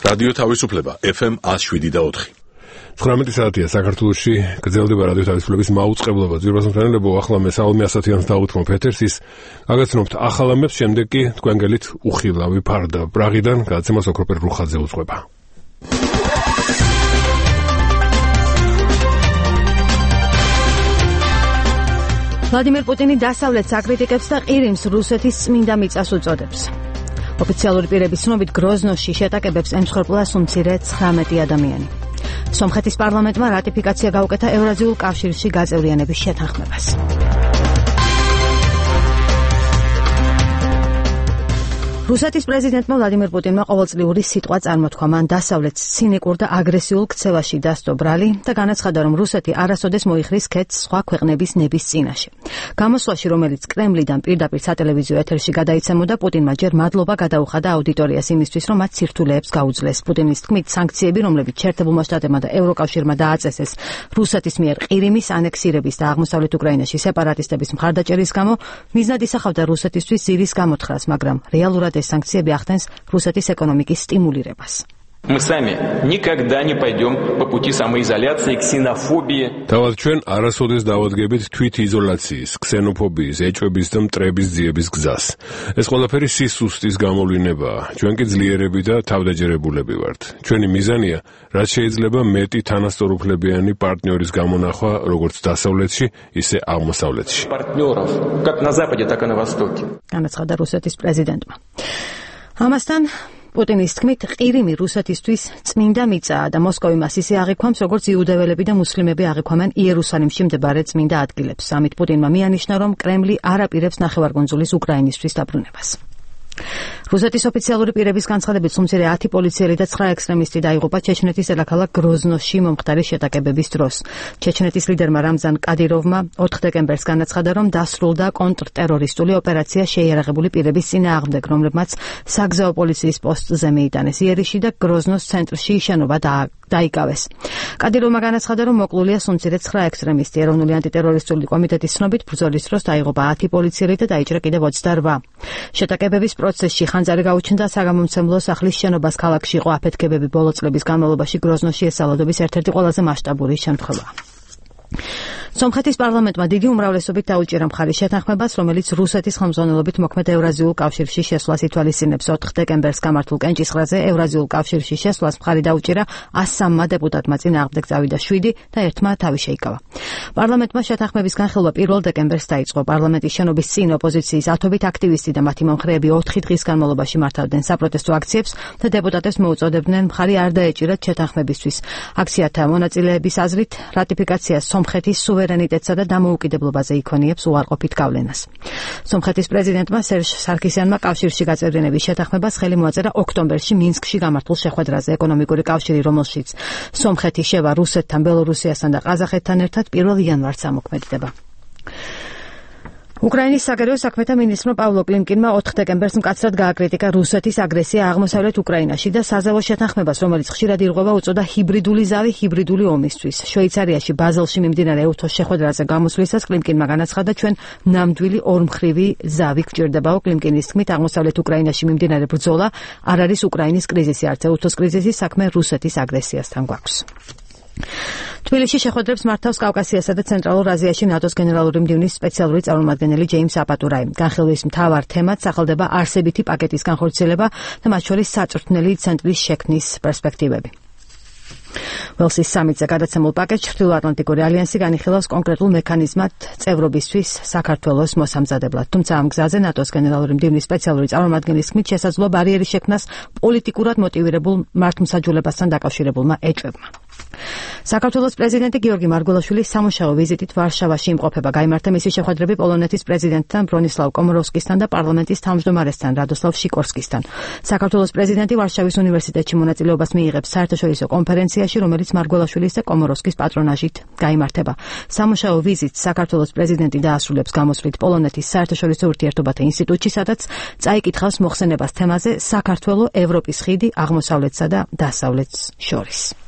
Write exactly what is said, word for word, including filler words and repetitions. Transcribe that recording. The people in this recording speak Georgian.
რადიო თავისუფლება ეფ ემ one oh seven და four. ცხრამეტი საათია საქართველოში გრძელდება რადიო თავისუფლების მაუწყებლობა. ძვირფას მთლიანობო ახლა მე საალმე ასათიანს დაუთმობ ეთერს ის გაგაცნობთ ახალ ამბებს, შემდეგ კი თქვენ გელით უხილავი ფარდა პრაღიდან გადაცემას ოქროპერ რუხაძე უძღვება. ვლადიმერ პუტინი დასავლეთს აკრიტიკებს და ყირიმს რუსეთის წმინდა მიწას უწოდებს. ოფიციალური პირების ცნობით გროზნოში შეტაკებებს ემსხვერპლა სულ მცირე ცხრამეტი ადამიანი. სომხეთის პარლამენტმა რატიფიკაცია გაუკეთა ევრაზიულ კავშირში გაწევრიანების შეთანხმებას. რუსეთის პრეზიდენტმა ვლადიმერ პუტინმა ყოველწლიური სიტყვა წარმოთქვა. მან დასავლეთს ცინიკურ და აგრესიულ ქცევაში დასდო ბრალი და განაცხადა, რომ რუსეთი არასოდეს მოიხრის ქეთს სხვა ქვეყნების ნების წინაშე. გამოსვლაში, რომელიც კრემლიდან პირდაპირ სატელევიზიო ეთერში გადაიცემოდა, პუტინმა ჯერ მადლობა გადაუხადა აუდიტორიას იმისთვის, რომ მათ სირთულეებს გაუძლეს. პუტინის თქმით, სანქციები, რომლებიც შეერთებულმა შტატებმა და ევროკავშირმა დააწესეს რუსეთის მიერ ყირიმის ანექსირების და აღმოსავლეთ უკრაინაში სეპარატისტების მხარდაჭერის გამო, მიზნად ისახავდა რუსეთისთვის ზირის გამოთხრას, მაგრამ რეალურად ეს სანქციები ახდენს რუსეთის ეკონომიკის სტიმულირებას. Мы сами никогда не пойдем по пути самоизоляции, ксенофобии. Თავად ჩვენ არასოდეს დავადგებით თვითიზოლაციის, ქსენოფობიის, ეჭვების და მტრების ძიების გზას. ეს ყველაფერი სისუსტის გამოვლინებაა. ჩვენ კი ძლიერები და თავდაჯერებულები ვართ. ჩვენი მიზანია, რაც შეიძლება მეტი თანასწორუფლებიანი პარტნიორის გამონახვა, როგორც დასავლეთში, ისე აღმოსავლეთში. Партнеров, как на западе, так и на востоке. განაცხადა რუსეთის პრეზიდენტმა. ამასთან პუტინის თქმით, ყირიმი რუსეთისთვის წმინდა მიწაა და მოსკოვი მას ისე აღიქვამს, როგორც იუდეველები და მუსლიმები აღიქვამენ იერუსალიმში მდებარე წმინდა ადგილებს. ამით პუტინმა მიანიშნა, რომ კრემლი არ აპირებს ნახევარკუნძულის უკრაინისთვის დაბრუნებას. რუსეთის ოფიციალური პირების განცხადებით, სულ მცირე ათი პოლიციელი და ცხრა ექსტრემისტი დაიღუპა ჩეჩნეთის დედაქალაქ გროზნოში მომხდარი შეტაკებების დროს. ჩეჩნეთის ლიდერმა რამზან კადიროვმა ოთხ დეკემბერს განაცხადა, რომ დასრულდა კონტრტერორისტული ოპერაცია შეიარაღებული პირების წინააღმდეგ, რომლებმაც საგზაო პოლიციის პოსტზე მიიტანეს იერიში და გროზნოს ცენტრში შენობა დაიკავეს. კადიროვმა განაცხადა, რომ მოკლულია სულ მცირე ცხრა ექსტრემისტი. ეროვნული ანტიტერორისტული კომიტეტის ცნობით, ბრძოლის დროს დაიღუპა ათი პოლიციელი და დაიჭრა კიდევ ოცდარვა. შეტაკებების პროცესში ხანძარი გაუჩნდა საგამომცემლო სახლის შენობას ქალაქში იყო აფეთქებები. ბოლო წლების განმავლობაში გროზნოში ეს სალოდობის ერთ-ერთი ყველაზე მასშტაბური შემთხვევაა. სომხეთის პარლამენტმა დიდი უმრავლესობით დაუჭირა მხარის შეთანხმებას, რომელიც რუსეთის ხელმძღვანელობით მოქმედ ევრაზიულ კავშირში შესვლას ითვალისწინებს. ოთხ დეკემბერს გამართულ კენჭისყრაზე ევრაზიულ კავშირში შესვლას მხარი დაუჭირა ასამმა დეპუტატმა, წინააღმდეგ წავიდა შვიდი და ერთმა თავი შეიკავა. პარლამენტმა შეთანხმების განხილვა პირველ დეკემბერს დაიწყო. პარლამენტის შენობის წინ ოპოზიციის ათობით აქტივისტი და მათი მომხრეები ოთხი დღის განმავლობაში მართავდნენ საპროტესტო აქციებს და დეპუტატებს მოუწოდებდნენ მხარი არ დაეჭირათ შეთანხმებისთვის. აქციათა მონაწილეების აზრით, რატიფიკაცია სომხეთის სუვერენიტეტსა და დამოუკიდებლობაზე იქონიებს უარყოფით გავლენას. სომხეთის პრეზიდენტმა სერჟ სარქისიანმა კავშირში გაწევრიანების შეთანხმებას ხელი მოაწერა ოქტომბერში მინსკში გამართულ შეხვედრაზე. ეკონომიკური კავშირი, რომელშიც სომხეთი შევა რუსეთთან, ბელორუსიასთან და ყაზახეთთან ერთად პირველ იანვარს ამოქმედდება. უკრაინის საგარეო საქმეთა მინისტრმა პავლო კლიმკინმა ოთხ დეკემბერს მკაცრად გააკრიტიკა რუსეთის აგრესია აღმოსავლეთ უკრაინაში და საზავო შეთანხმებას, რომელიც ხშირად ირღვევა, უწოდა ჰიბრიდული ზავი ჰიბრიდული ომისთვის. შვეიცარიაში ბაზელში მიმდინარე ევთოს შეხვედრაზე გამოსვლისას კლიმკინმა განაცხადა, ჩვენ ნამდვილი ორმხრივი ზავი გჭირდებაო. კლიმკინის თქმით, აღმოსავლეთ უკრაინაში მიმდინარე ბრძოლა არ არის უკრაინის კრიზისი, არც ევთოს კრიზისი, საქმე რუსეთის აგრესიასთან გვაქვს. თბილისში შეხვედრებს მართავს კავკასიასა და ცენტრალურ აზიაში ნატოს გენერალური მდივნის სპეციალური წარმომადგენელი ჯეიმს აპატურაი. განხილვის მთავარ თემად სახელდება არსებითი პაკეტის განხორციელება და მათ შორის საწვრთნელი ცენტრის შექმნის პერსპექტივები. ველსის სამიტზე გადაცემულ პაკეტს ჩრდილოატლანტიკური ალიანსი განიხილავს კონკრეტულ მექანიზმად წევრობისთვის საქართველოს მოსამზადებლად. თუმცა ამ გზაზე ნატოს გენერალური მდივნის სპეციალური წარმომადგენლის თქმით შესაძლოა ბარიერის შექმნას პოლიტიკურად მოტივირებულ მართლმსაჯულებასთან დაკავშირებულმა ეჭვებმა. საქართველოს პრეზიდენტი გიორგი მარგველაშვილი სამუშაო ვიზიტით ვარშავაში იმყოფება. გაიმართა მისი შეხვედრები პოლონეთის პრეზიდენტთან ბრონისლავ კომოროვსკისთან და პარლამენტის თავმჯდომარესთან რადოსლავ შიკორსკისთან. საქართველოს პრეზიდენტი ვარშავის უნივერსიტეტში მონაწილეობას მიიღებს საერთაშორისო კონფერენციაში, რომელიც მარგველაშვილის და კომოროვსკის პატრონაჟით გაიმართება. სამუშაო ვიზიტს საქართველოს პრეზიდენტი დაასრულებს გამოსვლით პოლონეთის საერთაშორისო ურთიერთობათა ინსტიტუტში, სადაც წაიკითხავს მოხსენებას თემაზე საქართველო ევროპის ხიდი აღმოსავლეთსა და დასავლეთს შორის.